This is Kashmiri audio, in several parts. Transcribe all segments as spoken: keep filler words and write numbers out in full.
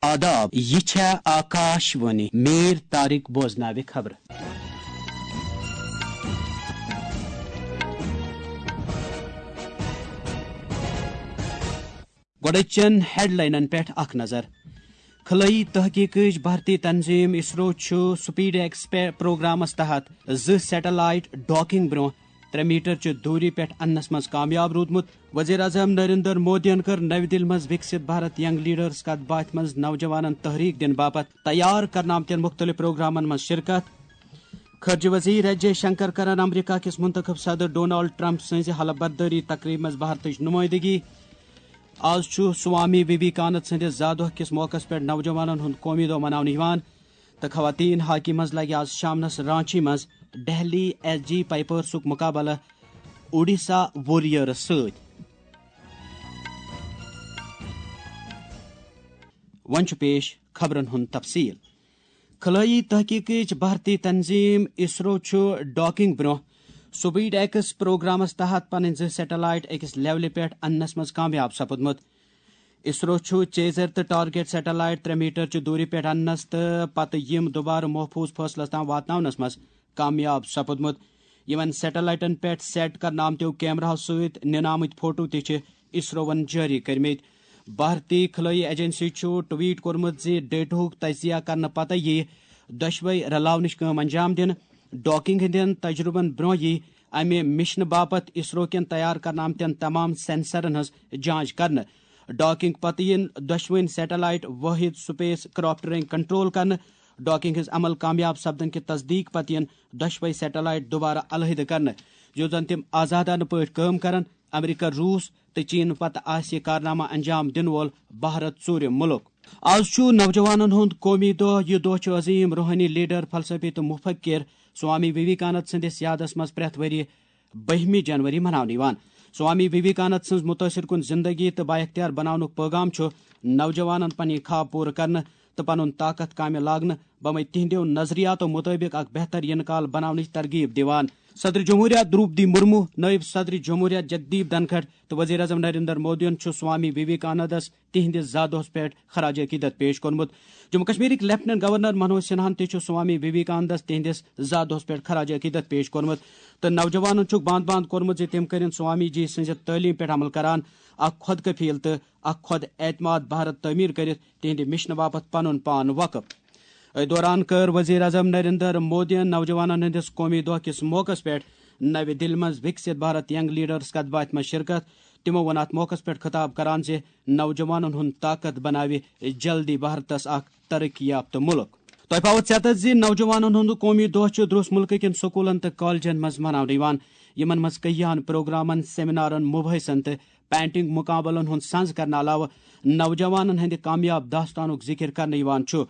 آداب، یہِ چھےٚ آکاش وانی۔ میر طارق بوزناوِ خبرٕ۔ گۄڈٕچن ہیڈلاینن پٮ۪ٹھ اکھ نظر۔ خلٲیی تحقیقٕچ بھارتی تنظیم اسرو چھُ سپیڈ ایکس پہ-، پروگرامس تحت زٕ سیٹلائٹ ڈاکنگ برونٛہہ ترٛےٚ میٹر چہِ دوٗری پٮ۪ٹھ اننس منٛز کامیاب روٗدمُت۔ وزیر اعظم نریندر مودیَن کٔر نَوِ دِلہِ منٛز وِکسِت بھارت ینگ لیڈرز کتھ باتھِ منٛز نوجوانن تحریک دِنہٕ باپتھ تیار کرنہٕ آمتٮ۪ن مُختٔلِف پروگرامن منٛز شرکت۔ خارجہ وزیر ایس جے شنکر کرن امریکہ کِس منتخب صدر ڈونالڈ ٹرمپ سٕنٛزِ حلف بردٲری تقریبہِ منٛز بھارتٕچ نمٲیندگی۔ آز چھُ سوامی ویویکانند سٕنٛدِس زا دۄہ کِس موقعس پٮ۪ٹھ نوجوانن ہُنٛد قومی دۄہ مناونہٕ یِوان تہٕ خواتین ہاکی منٛز لگہِ آز شامنس رانچی منٛز دہلی ایس جی پائپرسُک مقابلہٕ اوڈیشہ ووریئرس سۭتۍ۔ وۄنۍ چھُ پیش خبرن ہُنٛد تفصیل۔ خلٲیی تحقیقٕچ بھارتی تنظیم اسرو چھُ ڈاکنگ برونٛہہ سپیڈ ایکس پروگرامس تحت پنٕنۍ زٕ سیٹلائٹ أکِس لیولہِ پٮ۪ٹھ اننس منٛز کامیاب سپُدمُت۔ اسرو چھُ چیزر تہٕ ٹارگیٹ سیٹلائٹ ترٛےٚ میٹر چہِ دوٗری پٮ۪ٹھ اننس تہٕ پتہٕ یِم دوبارٕ محفوظ فٲصلس تام واتناونس منٛز کامیاب سپُدمُت۔ یِمن سیٹلائٹن پٮ۪ٹھ سیٹ کرنہٕ آمتیو کیمراہو سۭتۍ نِنہٕ آمٕتۍ فوٹو تہِ چھِ اسروون جٲری کٔرمٕتۍ۔ بھارتی خلٲیی ایجنسی چھُ ٹویٹ کوٚرمُت زِ ڈیٹاہُک تجزیہ کرنہٕ پتہٕ یِیہِ دۄشوے رلاونٕچ کٲم انجام دِنہٕ۔ ڈاکنگ ہٕنٛدٮ۪ن تجرُبن برونٛہہ یِیہِ امہِ مشنہٕ باپتھ اسرو کٮ۪ن تیار کرنہٕ آمتٮ۪ن تمام سینسرن ہٕنٛز جانچ کرنہٕ۔ ڈاکنگ پتہٕ یِن دۄشوٕنۍ سیٹلائٹ وٲحد سپیس کرافٹ رنگ کنٹرول کرنہٕ۔ ڈاکنگ ہٕنٛز عمل کامیاب سپدن کہِ تصدیق پتہٕ یِن دۄشوے سیٹلائٹ دوبارٕ علیحدٕ کرنہٕ، یوٚت زن تِم آزادانہٕ پٲٹھۍ کٲم کرن۔ امریکہ، روس تہٕ چین پتہٕ آسہِ یہِ کارنامہٕ انجام دِنہٕ وول بھارت ژوٗرِم مُلک۔ آز چھُ نوجوانن ہُنٛد قومی دۄہ۔ یہِ دۄہ چھُ عظیم روحٲنی لیڈر، فلسفی تہٕ مفکر سوامی ویویکانند سٕنٛدِس یادس منٛز پرٛٮ۪تھ ؤرۍ بٔہمہِ جنوری مناونہٕ یِوان۔ سوامی ویویکانند سٕنٛز متٲثر کُن زندگی تہٕ بااختیار بناونُک پیغام چھُ نوجوانن پنٕنۍ خواب پوٗرٕ کرنہٕ تہٕ پنُن طاقت کامہِ لاگنہٕ بمے تِہنٛدیو نظریاتو مطٲبق اکھ بہتر یِنہٕ کال بناونٕچ ترغیب دِوان۔ صدر جمہوریہ دروپدی مرمو، نائب صدر جمہوریہ جگدیپ دھنکھڑ تہٕ وزیر اعظم نریندر مودیَن چھُ سوامی ویویکانندس تِہنٛدِس زا دۄہس پٮ۪ٹھ خراج عقیدت پیش کوٚرمُت۔ جموں کشمیرٕکۍ لیفٹیننٹ گورنر منوج سنہاہن تہِ چھُ سوامی ویویکانندس تِہنٛدِس زا دۄہس پٮ۪ٹھ خراج عقیدت پیش کوٚرمُت تہٕ نوجوانن چھُکھ باند باند کوٚرمُت زِ تِم کٔرِن سوامی جی سٕنٛزِ تعلیٖم پٮ۪ٹھ عمل کران، اکھ خۄد کفیل تہٕ اکھ خۄد اعتماد بھارت تعمیٖر کٔرِتھ تِہنٛدِ مشنہٕ باپتھ پنُن پان وقف۔ أتھۍ دوران کٔر وزیر اعظم نریندر مودیَن نوجوانن ہٕنٛدِس قومی دۄہ کِس موقعس پٮ۪ٹھ نَوِ دِلہِ منٛز وِکسِت بھارت ینگ لیڈرز کتھ باتھِ منٛز شرکت۔ تِمو ووٚن اتھ موقعس پٮ۪ٹھ خطاب کران زِ نوجوانن ہُنٛد طاقت بناوِ جلدی بھارتس اکھ ترقی یافتہٕ مُلک۔ تۄہہِ پاوو ژیتس زِ نوجوانن ہُنٛد قومی دۄہ چھُ درٛوس مُلکہٕ کٮ۪ن سکوٗلن تہٕ کالجن منٛز مناونہٕ یِوان، یِمن منٛز کٔہیاہن پروگرامن، سیمینارن، مباحثن تہٕ پینٹنگ مقابلن ہُنٛد سنز کرنہٕ علاوٕ نوجوانن ہٕنٛدِ کامیاب داستانُک ذکر کرنہٕ یِوان چھُ۔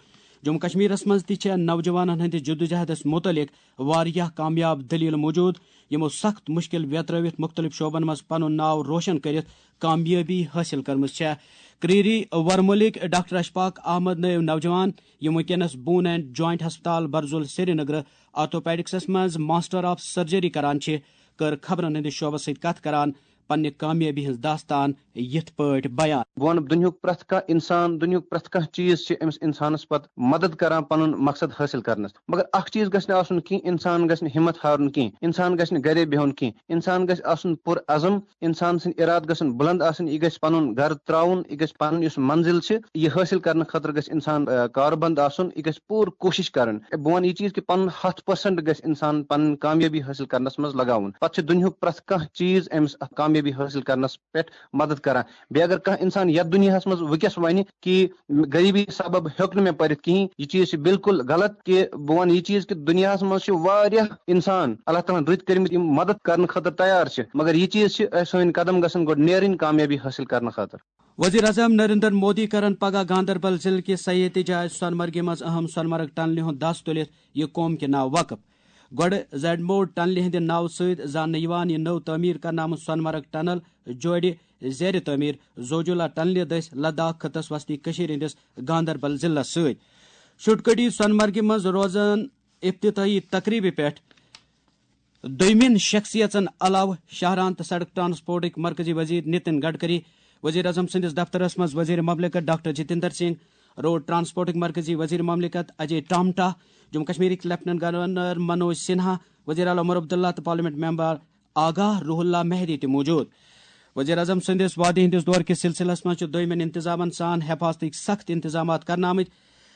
جموں کشمیرس منٛز تہِ چھےٚ نوجوانن ہٕنٛدِ جدوجہدس متعلق واریاہ کامیاب دٔلیٖل موجود، یِمو سخت مشکل ویترٲوِتھ مختلف شعبن منٛز پنُن ناو روشن کٔرِتھ کامیٲبی حٲصِل کٔرمٕژ چھےٚ۔ کرٛیٖری ورمُلٕکۍ ڈاکٹر اشفاق احمد نٲوۍ نوجوان، یِم وٕنکیٚنس بون اینڈ جوائنٹ ہسپتال برزُل سرینگرٕ آرتھوپیڈکسس منٛز ماسٹر آف سرجری کران چھِ، کٔر خبرن ہٕنٛدِس شعبس سۭتۍ کتھ کران پننہِ کامیٲبی ہٕنٛز داستان یِتھ پٲٹھۍ بیان۔ بہٕ وَنہٕ، دُنیاہُک پرٛٮ۪تھ کانٛہہ اِنسان، دُنیاہُک پرٛٮ۪تھ کانٛہہ چیٖز چھِ أمِس اِنسانَس پَتہٕ مَدَد کَران پَنُن مقصد حٲصِل کَرنَس۔ مگر اَکھ چیٖز گژھِ نہٕ آسُن کینٛہہ، اِنسان گژھِ نہٕ ہِمَت ہارُن کینٛہہ، اِنسان گژھِ نہٕ گَرے بِہُن کینٛہہ، اِنسان گژھِ آسُن پُر عزم، اِنسان سٕنٛدۍ اِرادٕ گژھن بُلنٛد آسٕنۍ، یہِ گژھِ پَنُن گَرٕ ترٛاوُن، یہِ گژھِ پَنُن یُس منزِل چھِ، یہِ حٲصِل کَرنہٕ خٲطرٕ گژھِ اِنسان، آ، کاربنٛد آسُن، یہِ گژھِ پوٗرٕ کوٗشِش کَرٕنۍ۔ بہٕ وَنہٕ، یہِ چیٖز کہِ پَنُن ہَتھ پٔرسَنٛٹ گژھِ اِنسان پَنٕنۍ کامیٲبی حٲصِل کَرنَس منٛز لَگاوُن۔ پَتہٕ چھِ دُنیاہُک پرٛٮ۪تھ کانٛہہ چیٖز أمِس اَتھ کامیٲبی حٲصِل کَرنَس پٮ۪ٹھ مدد کران۔ بیٚیہِ اگر کانٛہہ اِنسان یَتھ دُنیاہَس منٛز وٕنکیٚس وَنہِ کہِ غریٖبی سبب ہیوٚک نہٕ مےٚ پٔرِتھ کِہیٖنۍ، یہِ چیٖز چھِ بالکل غلط۔ کہِ بہٕ وَنہٕ یہِ چیٖز کہِ دُنیاہَس منٛز چھِ واریاہ اِنسان اللہ تعالیٰ ہَن رٕتۍ کٔرمٕتۍ، یِم مدد کرنہٕ خٲطرٕ تیار چھِ، مگر یہِ چیٖز چھِ اَسہِ، سٲنۍ قدم گژھن گۄڈٕ نیرٕنۍ کامیٲبی حٲصِل کرنہٕ خٲطرٕ۔ وزیر اعظم نریندر مودی کرن پگاہ گاندربل ضلعہٕ کِس سیاحتی جاے سۄنہٕ مرگہِ منٛز اہم سۄنہٕ مرگ ٹنلہِ ہُنٛد دَس تُلِتھ یہِ قوم کہِ ناوٕ وقف۔ گۄڈٕ زیڈمو ٹنلہِ ہٕنٛدِ ناوٕ سۭتۍ زاننہٕ یِوان یہِ نٔو تعمیٖر کرنہٕ آمُت سۄنہٕ مرگ ٹنل جوڑِ زیرِ تعمیٖر زوجولا ٹنلہِ دٔسۍ لداخ خطس وسطی کٔشیٖرِ ہٕنٛدِس گاندربل ضلعس سۭتۍ۔ شُٹکڑی سۄنہٕ مرگہِ منٛز روزن افتتاحی تقریبہِ پٮ۪ٹھ دوٚیمٮ۪ن شخصیژن علاوٕ شاہراہن تہٕ سڑک ٹرانسپورٹٕکۍ مرکزی وزیر نتن گڈکری، وزیر اعظم سٕنٛدِس دفترس منٛز وزیر مملکت ڈاکٹر جتیندر سنگھ، روڈ ٹرانسپورٹٕکۍ مرکزی وزیر مملکت اجے ٹامٹا، جموں کشمیرٕکۍ لیفٹیننٹ گورنر منوج سنہا، وزیر اعلیٰ عمر عبداللہ تہٕ پارلیمنٹ ممبر آغا روح اللہ مہدی تہِ موجود۔ وزیر اعظم سٕنٛدِس وعدٕ ہٕنٛدِس دورٕ کِس سلسلس منٛز چھِ دوٚیمٮ۪ن انتظامن سان حفاظتٕکۍ سخت انتظامات کرنہٕ آمٕتۍ۔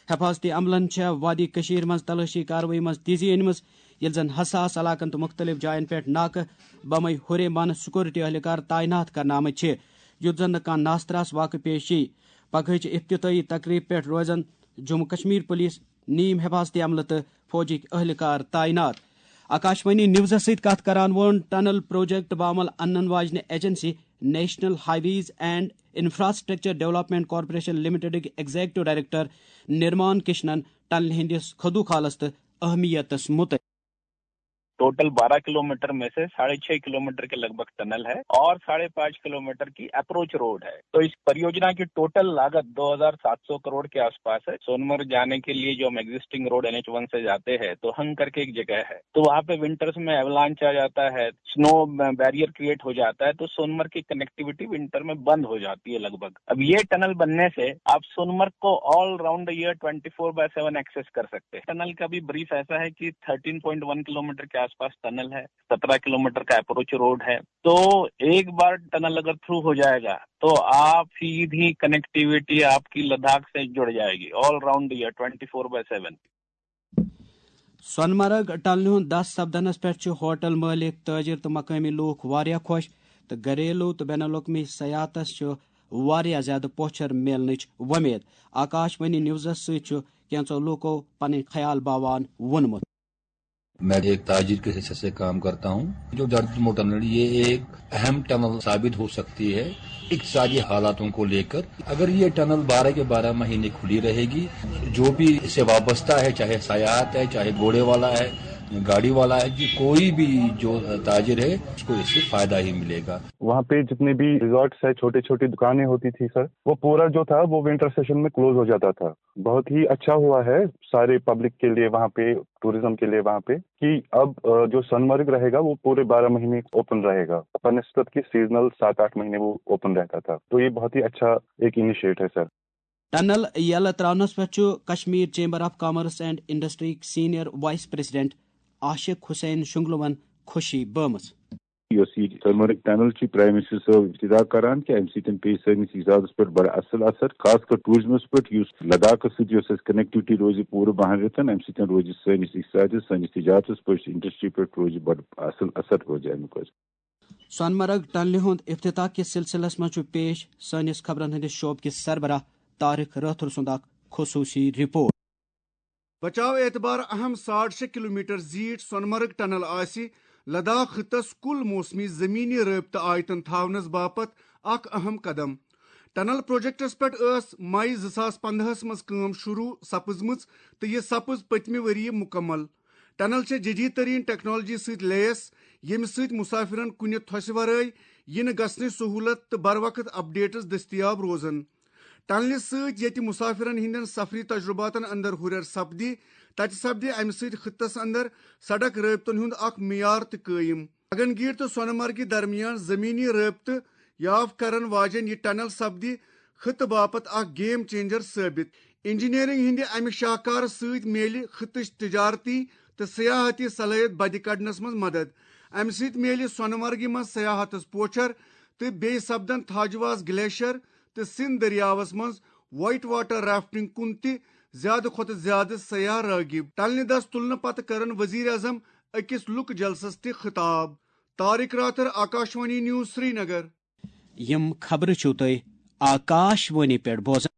حفاظتی عملن چھےٚ وادی کشیر منٛز تلٲشی کاروٲیی منٛز تیزی أنمٕژ، ییٚلہِ زن حساس علاقن تہٕ مُختٔلِف جاین پٮ۪ٹھ ناکہٕ بمے ہُرے مانہٕ سیکورٹی اہلکار تعینات کرنہٕ آمٕتۍ چھِ، یُتھ زن نہٕ کانٛہہ ناستراس واقعہٕ پیش یی۔ پگہٕچ افتتاحی تقریب پٮ۪ٹھ روزن جموں کشمیر پولیس، نیم حفاظتی عملہٕ تہٕ فوجٕکۍ اہلکار تعینات۔ آکاشوانی نیوزس سۭتۍ کتھ کران ووٚن ٹنل پروجیکٹ باعمل انن واجنہِ agency national highways and infrastructure development corporation لمیٹڈٕکۍ ایگزیکٹو ڈائریکٹر نرمان کشنن ٹنلہِ ہٕنٛدِس خدو خالس تہٕ اہمیتس متعلق۔ ٹوٹل بارہ کلومیٹر میں سے ساڑھے چھ کلومیٹر کے لگ بھگ ٹنل ہے اور ساڑھے پانچ کلومیٹر کی اپروچ روڈ ہے۔ تو اس परियोजना की टोटल लागत दो हज़ार सात सौ करोड़ के आसपास है। सोनमर्ग जाने के लिए जो हम एग्जिस्टिंग रोड एनएच वन से जाते हैं, तो हंग करके एक जगह है, तो वहाँ पे विंटर्स में एवलांच आ जाता है, स्नो बैरियर क्रिएट हो जाता है, तो सोनमर्ग की कनेक्टिविटी विंटर में बंद हो जाती है लगभग। अब ये टनल बनने से आप सोनमर्ग को all round year twenty four by seven access कर सकते हैं। टनल का भी ब्रीफ ऐसा है कि थर्टीन पॉइंट वन किलोमीटर के आसपास टनल है, सत्रह किलोमीटर का अप्रोच रोड है। तो एक बार टनल अगर थ्रू हो जाएगा, तो आप सीधी कनेक्टिविटी आपकी लद्दाख से जुड़ जाएगी all round year twenty four by seven. سۄنہٕ مرگ ٹنلہِ ہُنٛد دَس سپدنس پٮ۪ٹھ چھِ ہوٹل مٲلِک، تٲجِر تہٕ مقٲمی لوٗکھ واریاہ خۄش، تہٕ گھریلو تہٕ بین الاقوٲمی سیاحتس چھُ واریاہ زیادٕ پوچھر میلنٕچ وۄمید۔ آکاش وانی نیوزس سۭتۍ چھُ کینٛژو لوٗکو پنٕنۍ خیال باوان ووٚنمُت۔ میں ایک تاجر کے حیثیت سے کام کرتا ہوں۔ جو جاڑی ٹمو ٹنل، یہ ایک اہم ٹنل ثابت ہو سکتی ہے اقتصادی حالاتوں کو لے کر۔ اگر یہ ٹنل بارہ کے بارہ مہینے کھلی رہے گی، جو بھی اس سے وابستہ ہے، چاہے سیاحت ہے، چاہے گھوڑے والا ہے، گاڑی والا ہے، جی کوئی بھی جو تاجر ہے، اس کو اس سے فائدہ ہی ملے گا۔ وہاں پہ جتنے بھی ریزورٹس ہے، چھوٹے چھوٹے دکانیں ہوتی تھی سر، وہ پورا جو تھا وہ ونٹر سیشن میں کلوز ہو جاتا تھا۔ بہت ہی اچھا ہوا ہے سارے پبلک کے لیے وہاں پہ، ٹورزم کے لیے وہاں پہ، کہ اب جو سونمرگ رہے گا وہ پورے بارہ مہینے اوپن رہے گا، بنسبت کہ سیزنل سات آٹھ مہینے وہ اوپن رہتا تھا۔ تو یہ بہت ہی اچھا ایک انیشیٹ ہے سر۔ ٹنل یلہٕ تراونس پٮ۪ٹھ چھُ Kashmir chamber of commerce and industry senior vice president عاشق حسین شنگلوَن خوشی بٲمٕژ۔ یۄس یہِ سۄنمرگ ٹنل چھِ، پرائم منسٹر صٲب افتتاح کران، کہِ امہِ سۭتۍ پیٚیہِ سٲنِس اقتصادس پٮ۪ٹھ بڑٕ اصل اثر، خاص کر ٹوٗرزمس پٮ۪ٹھ، یُس لداخس سۭتۍ یۄس اَسہِ کنیکٹیوٹی روزِ پوٗرٕ بہن رٮ۪تن، امہِ سۭتۍ روزِ سٲنِس اقتصادس، سٲنِس تجارتس پٮ۪ٹھ، انڈسٹری پٮ۪ٹھ روزِ بڑٕ اصل اثر روزِ امیُک حظ۔ سۄنمرگ ٹنلہِ ہُنٛد افتتاح کِس سلسلس منٛز چھُ پیش سٲنِس خبرن ہٕنٛدِس شعبہٕ کِس سربراہ طارق رٲتھر سُنٛد اکھ خصوٗصی رپورٹ۔ بچاو اعتبار اہم ساڑ شےٚ کلومیٹر زیٖٹھ سۄنمرگ ٹنل آسہِ لداخ خطس کل موسمی زمینی رٲبطہٕ آیتن تھاونس باپتھ اکھ اہم قدم۔ ٹنل پروجیکٹس پٮ۪ٹھ ٲس مئی زٕ ساس پندہس منٛز کٲم شروع سپٕزمٕژ تہٕ یہِ سپٕز پٔتمہِ ؤریہِ مُکمل۔ ٹنل چھےٚ جدید ترین ٹیکنالوجی سۭتۍ لیس، ییٚمہِ سۭتۍ مسافرن کُنہِ تھوسہِ ورٲے یِنہٕ گژھنٕچ سہولت تہٕ بروقت اپڈیٹس دٔستیاب روزن۔ ٹنلہِ سۭتۍ ییٚتہِ مسافرن ہٕنٛدٮ۪ن سفری تجرباتن اندر ہُرٮ۪ر سپدِ، تتہِ سپدِ امہِ سۭتۍ خطس اندر سڑک رٲبطن ہُنٛد اکھ معیار تہِ قٲیِم۔ گگن گیٹ تہٕ سونہٕ مرگہِ درمیان زمینی رٲبطہٕ یاو کرن واجٮ۪ن یہِ ٹنل سپدِ خطہٕ باپتھ اکھ گیم چینجر ثٲبت۔ انجینئرنگ ہٕنٛدِ امہِ شاہکارٕ سۭتۍ میلہِ خطٕچ تجارتی تہٕ سیاحتی صلٲحیت بدِ کڑنس منٛز مدد۔ امہِ سۭتۍ میلہِ سونہٕ مرگہِ منٛز سیاحتس پوچھر تہٕ بیٚیہِ سپدن تھاجواس گلیشیر تہٕ سندھ دٔریاوس منٛز وائٹ واٹر رافٹنگ کُن تہِ زیادٕ کھۄتہٕ زیادٕ سیاح راغب۔ ٹنلہِ دس تُلنہٕ پتہٕ کرن وزیر اعظم أکِس لُکہٕ جلسس تہِ خطاب۔ طارق راتھر، آکاشوانی نیوز، سرینگر۔ یِم خبرٕ چھِو تُہۍ آکاش وانی پٮ۪ٹھ بوزان۔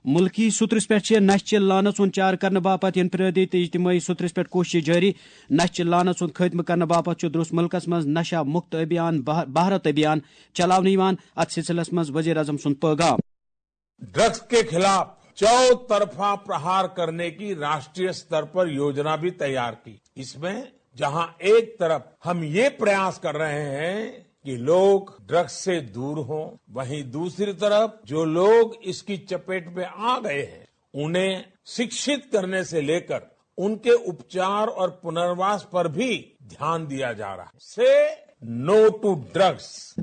مُلکی سوٚترِس پٮ۪ٹھ چھِ نشہِ چہِ لعنژ ہُنٛد چارٕ کرنہٕ باپتھ انفرٲدی تہٕ اجتمٲعی سوٚترِس پٮ۪ٹھ کوٗششہٕ جٲری۔ نشہِ چہِ لعنژ ہُنٛد خٲتمہٕ کرنہٕ باپتھ چھُ درست مُلکس منٛز نشہ مُکت ابھیان، بھا-، بھارت ابھیان، چلاونہٕ یِوان۔ اتھ سلسلس منٛز وزیر اعظم سُنٛد پٲغام۔ ड्रग्स के खिलाफ चौतरफा प्रहार करने की राष्ट्रीय स्तर पर योजना भी तैयार की। इसमें जहां एक तरफ हम ये प्रयास कर रहे हैं कि लोग ड्रग्स से दूर हों, वहीं दूसरी तरफ जो लोग इसकी चपेट में आ गए हैं, उन्हें शिक्षित करने से लेकर उनके उपचार और पुनर्वास पर भी ध्यान दिया जा रहा है। से नो टू ड्रग्स।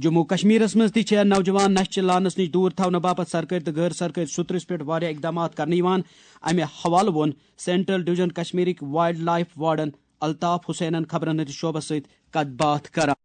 جموں کشمیرس منٛز تہِ چھےٚ نوجوان نشہٕ چہِ لعنس نِش دوٗر تھاونہٕ باپتھ سرکٲرۍ تہٕ غٲر سرکٲرۍ سطرس پٮ۪ٹھ واریاہ اقدامات کرنہٕ یِوان۔ امہِ حوالہٕ ووٚن سینٹرل ڈویژن کشمیرٕکۍ وائلڈ لائف وارڈن الطاف حسینن خبرن ہٕنٛدِس شعبس سۭتۍ کتھ باتھ کران۔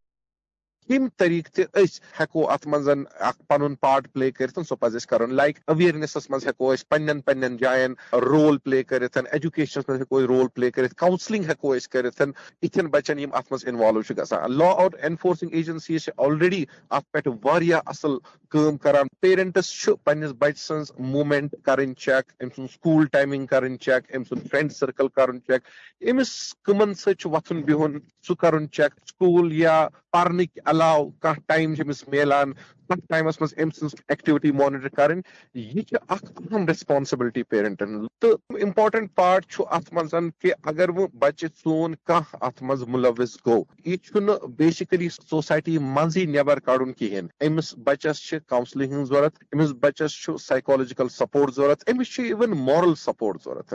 کمہِ طریقہٕ تہِ أسۍ ہٮ۪کو اتھ منٛز اکھ پنُن پارٹ پلے کٔرِتھ، سُہ پزِ اَسہِ کرُن۔ لائک اویئرنیسس منٛز ہٮ۪کو أسۍ پننٮ۪ن پننٮ۪ن جاین رول پلے کٔرِتھ، ایجوکیشنس منٛز ہٮ۪کو أسۍ رول پلے کٔرِتھ، کاؤنسلنگ ہٮ۪کو أسۍ کٔرِتھ، یِتھٮ۪ن بچن یِم اتھ منٛز انوالو چھِ گژھان۔ لا اینفورسنگ ایجنسیز چھِ آلریڈی اتھ پٮ۪ٹھ واریاہ اصل کٲم کران۔ پیرنٹس چھُ پننِس بچہٕ سٕنٛز موومینٹ کرٕنۍ چیک، أمۍ سُنٛد سکول ٹائمنگ کرٕنۍ چیک، أمۍ سُنٛد فرینڈ سرکل کرُن چیک، أمِس کٕمن سۭتۍ چھُ وۄتھُن بِہُن سُہ کرُن چیک، سکول یا پرنٕکۍ علاوٕ کانٛہہ ٹائم چھُ أمِس میلان، تتھ ٹائمس منٛز أمۍ سٕنٛز ایکٹیویٹی مانیٹر کرٕنۍ۔ یہِ چھِ اکھ اہم ریسپانسبلٹی پیرنٹن ہٕنٛز۔ تہٕ امپورٹنٹ پارٹ چھُ اتھ منٛز کہِ اگر وۄنۍ بچہِ سون کانٛہہ اتھ منٛز ملوث گوٚو، یہِ چھُنہٕ بیسیکلی سوسائٹی منٛزٕے نٮ۪بر کڑُن کِہیٖنۍ۔ أمِس بچس چھِ کاؤنسلنگ ہٕنٛز ضروٗرت، أمِس بچس چھُ سائیکولوجیکل سپورٹ ضروٗرت، أمِس چھُ ایون مارل سپورٹ ضروٗرت۔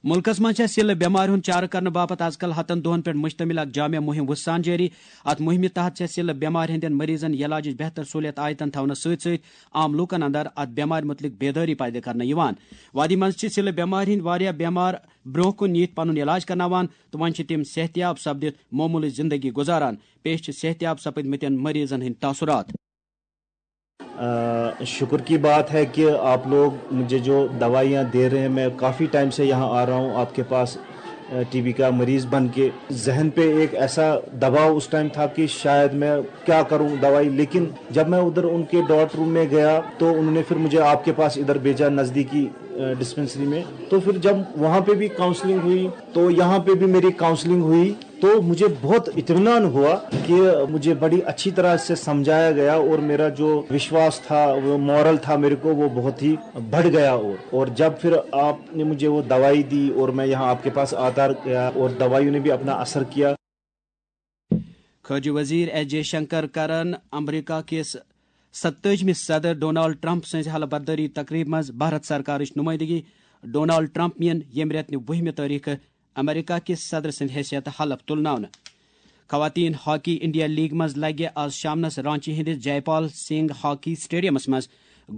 مُلکَس منٛز چھےٚ سِلہٕ بٮ۪مارِ ہُنٛد چارٕ کرنہٕ باپتھ از کل ہتن دۄہَن پٮ۪ٹھ مُشتمِل اکھ جامع مُہِم وُژھان جٲری۔ اَتھ مُہِمہِ تحت چھےٚ سِلہٕ بٮ۪مارِ ہٕنٛدٮ۪ن مریضَن یلاجٕچ بہتر سہوٗلیت آیتن تھاونَس سۭتۍ سۭتۍ عام لوٗکَن اندر اَتھ بٮ۪مارِ مُتعلِق بیدٲری پٲدٕ کرنہٕ یِوان۔ وادی منٛز چھِ سِلہٕ بٮ۪مارِ ہٕنٛدۍ واریاہ بٮ۪مار برٛونٛہہ کُن نِتھ پنُن علاج کرناوان تہٕ وۄنۍ چھِ تِم صحتیاب سپدِتھ معموٗلٕچ زِندگی گُزاران۔ پیش چھِ صحتیاب سپٕدمٕتٮ۪ن مریضَن ہٕنٛدۍ تاثرات۔ अ, शुक्र की बात है कि आप लोग मुझे जो दवाइयाँ दे रहे हैं, मैं काफ़ी टाइम से यहाँ आ रहा हूँ आपके पास, टीबी का मरीज़ बन के। जहन पे एक ऐसा दबाव उस टाइम था कि शायद मैं क्या करूँ दवाई, लेकिन जब मैं उधर उनके डॉट रूम में गया तो उन्होंने फिर मुझे आपके पास इधर भेजा, नज़दीकी डिस्पेंसरी में। तो फिर जब वहाँ पे भी काउंसलिंग हुई तो यहाँ पे भी मेरी काउंसलिंग हुई, तो मुझे बहुत इत्मीनान हुआ कि मुझे बड़ी अच्छी तरह से समझाया गया और मेरा जो विश्वास था, वो मॉरल था मेरे को, वो बहुत ही बढ़ गया। और और जब फिर आपने मुझे वो दवाई दी और मैं यहाँ आपके पास आता गया और दवाइयों ने भी अपना असर किया। خارجہ وزیر ایس جے شنکر کرن امریکہ کِس ستٲجمہِ صدر ڈونالڈ ٹرمپ سٕنٛزِ حلف بردٲری تقریبہِ منٛز بھارت سرکارٕچ نمٲیندگی۔ ڈونالڈ ٹرمپ یِن ییٚمہِ رٮ۪تہٕ نہِ وُہمہِ تٲریخہٕ امریکہ کِس صدر سٕنٛدِ حیثیتہٕ حلف تُلناونہٕ۔ خواتین ہاکی انڈیا لیگ منٛز لگہِ آز شامنس رانچی ہٕنٛدِس جے پال سنگھ ہاکی سٹیڈیمس منٛز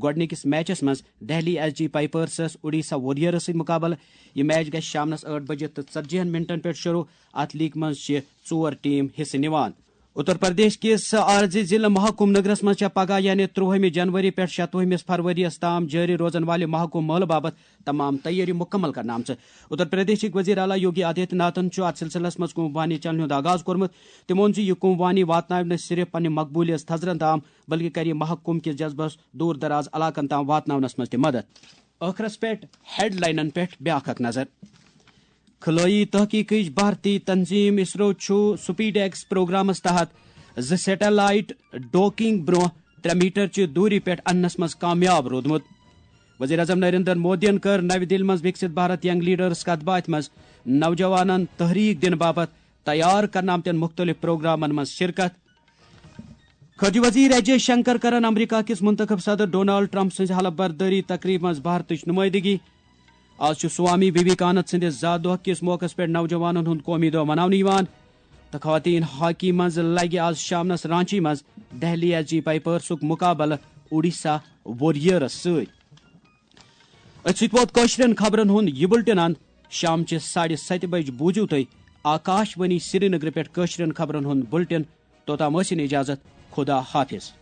گۄڈٕنِکِس میچس منٛز دہلی ایس جی پائپرسس اوڈیشہ وارریئرس سۭتۍ مقابلہٕ۔ یہِ میچ گژھِ شامنس ٲٹھ بجے تہٕ ژتجی ہن منٹن پٮ۪ٹھ شروع۔ اتھ لیگ منٛز چھِ ژور ٹیم حصہٕ نِوان۔ اتر پردیش کِس آر زی ضلع محکم نگرس منٛز چھےٚ پگاہ یعنی ترٛوہمہِ جنوری پٮ۪ٹھ شتوُہمِس فروری یَس تام جٲری روزن والہِ محکم مٲلہٕ باپتھ تمام تیٲری مکمل کرنہٕ آمژٕ۔ اتر پردیشٕکۍ وزیر اعلیٰ یوگی آدتیہ ناتھن چھُ اتھ سلسلس منٛز کُمبوانی چلنہِ ہُنٛد آغاز کوٚرمُت۔ تِمو ووٚن زِ یہِ کُمبوانی واتناوِ نہٕ صرف پننہِ مقبولیت تھزرن تام، بلکہِ کرِ محکم کِس جذبس دور دراز علاقن تام واتناونس منٛز تہِ مدد۔ ٲخرس پٮ۪ٹھ ہیڈ لاینن پٮ۪ٹھ بیاکھ اکھ نظر۔ خلٲیی تحقیقٕچ بھارتی تنظیم اسرو چھُ سپیڈ ایکس پروگرامس تحت زٕ سیٹلائٹ ڈوکنگ برونٛہہ ترٛےٚ میٹر چہِ دوٗری پٮ۪ٹھ اننس منٛز کامیاب روٗدمُت۔ وزیر اعظم نریندر مودیَن کٔر نَوِ دِلہِ منٛز وِکسِت بھارت ینگ لیڈرز کتھ باتھِ منٛز نوجوانن تحریک دِنہٕ باپتھ تیار کرنہٕ آمتٮ۪ن مُختٔلِف پروگرامن منٛز شرکت۔ خارجہ وزیر ایس جے شنکر کرن امریکہ کِس منتخب صدر ڈونالڈ ٹرمپ سٕنٛزِ حلف بردٲری تقریبہِ منٛز بھارتٕچ نمٲیندگی۔ آز چھُ سوامی ویویکانند سٕنٛدِس زا دۄہ کِس موقعس پٮ۪ٹھ نوجوانن ہُنٛد قومی دۄہ مناونہٕ یِوان تہٕ خواتین ہاکی منٛز لگہِ آز شامنس رانچی منٛز دہلی ایس جی پائپرسُک مقابلہٕ اوڈیشہ وارریئرس سۭتۍ۔ أتھۍ سۭتۍ ووت کٲشرٮ۪ن خبرن ہُنٛد یہِ بُلٹن اند۔ شامچہِ ساڑِ ستہِ بجہِ بوٗزِو تُہۍ آکاش وانی سرینگرٕ پٮ۪ٹھ کٲشرٮ۪ن خبرن ہُنٛد بُلٹن۔ توٚتام ٲسِن اجازت۔ خدا حافظ۔